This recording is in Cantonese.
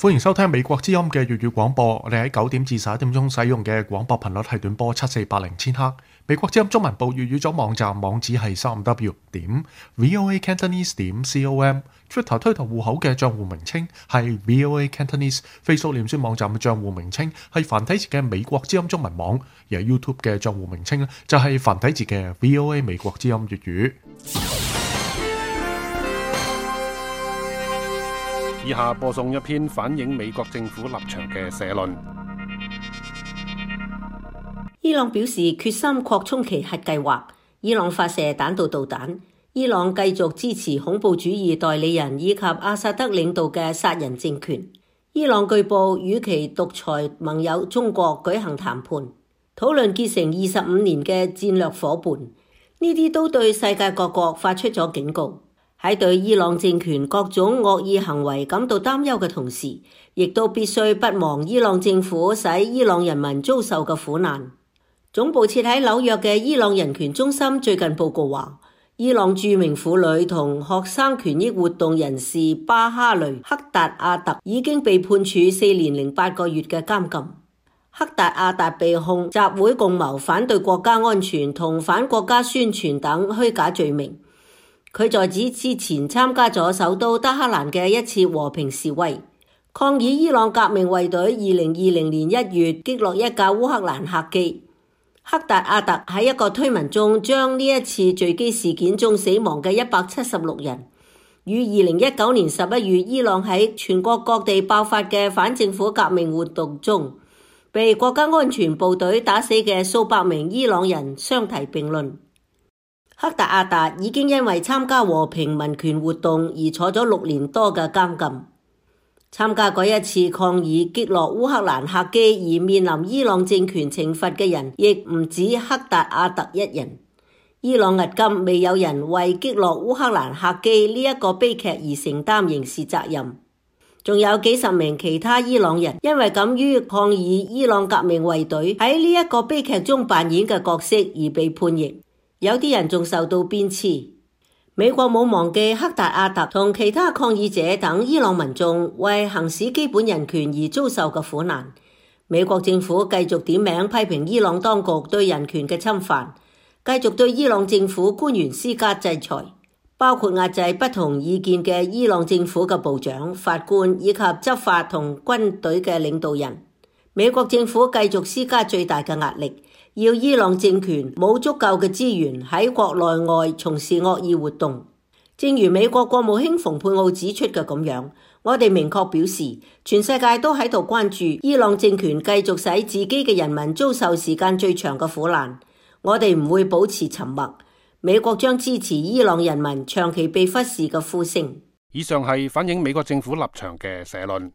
歡迎收聽美國之音嘅粵語廣播。我哋喺9點至11點鐘使用嘅廣播頻率係短波7480千赫。美國之音中文部粵語組網站網址係3w.voacantonese.com。Twitter 推特戶口嘅賬戶名稱係 VOA Cantonese。Facebook 臉書網站嘅賬戶名稱係繁體字嘅美國之音中文網，而 YouTube 嘅賬戶名稱咧就係繁體字嘅 VOA 美國之音粵語。以下播送一篇反映美國政府立場嘅社論。伊朗表示決心擴充其核計劃。伊朗發射彈道導彈。伊朗繼續支持恐怖主義代理人以及阿薩德領導嘅殺人政權。伊朗據報與其獨裁盟友中國舉行談判，討論結成25年嘅戰略夥伴。呢啲都對世界各國發出咗警告。喺對伊朗政權各種惡意行為感到擔憂嘅同時，亦都必須不忘伊朗政府使伊朗人民遭受嘅苦難。總部設喺紐約嘅伊朗人權中心最近報告話，伊朗著名婦女同學生權益活動人士巴哈雷·克達阿特已經被判處4年08個月嘅監禁。克達阿特被控集會共謀反對國家安全同反國家宣傳等虛假罪名。佢在此之前參加咗首都德黑蘭嘅一次和平示威，抗議伊朗革命衛隊2020年1月擊落一架烏克蘭客機。克達阿特喺一個推文中將呢一次墜機事件中死亡嘅176人，與2019年11月伊朗喺全國各地爆發嘅反政府革命活動中被國家安全部隊打死嘅數百名伊朗人相提並論。克達阿特已經因為參加和平民權活動而坐咗6年多嘅監禁。參加過一次抗議擊落烏克蘭客機而面臨伊朗政權懲罰嘅人，亦唔止克達阿特一人。伊朗迄今未有人為擊落烏克蘭客機呢一個悲劇而承擔刑事責任。仲有幾十名其他伊朗人因為敢於抗議伊朗革命衛隊喺呢一個悲劇中扮演嘅角色而被判刑。有啲人仲受到鞭笞。美國冇忘記克達阿特同其他抗議者等伊朗民眾為行使基本人權而遭受嘅苦難。美國政府繼續點名批評伊朗當局對人權嘅侵犯，繼續對伊朗政府官員施加制裁，包括壓制不同意見嘅伊朗政府嘅部長、法官以及執法同軍隊嘅領導人。美國政府繼續施加最大嘅壓力，要伊朗政權冇足夠嘅資源喺國內外從事惡意活動。正如美國國務卿蓬佩奧指出嘅咁樣，我哋明確表示，全世界都喺度關注伊朗政權繼續使自己嘅人民遭受時間最長嘅苦難。我哋唔會保持沉默。美國將支持伊朗人民長期被忽視嘅呼聲。以上係反映美國政府立場嘅社論。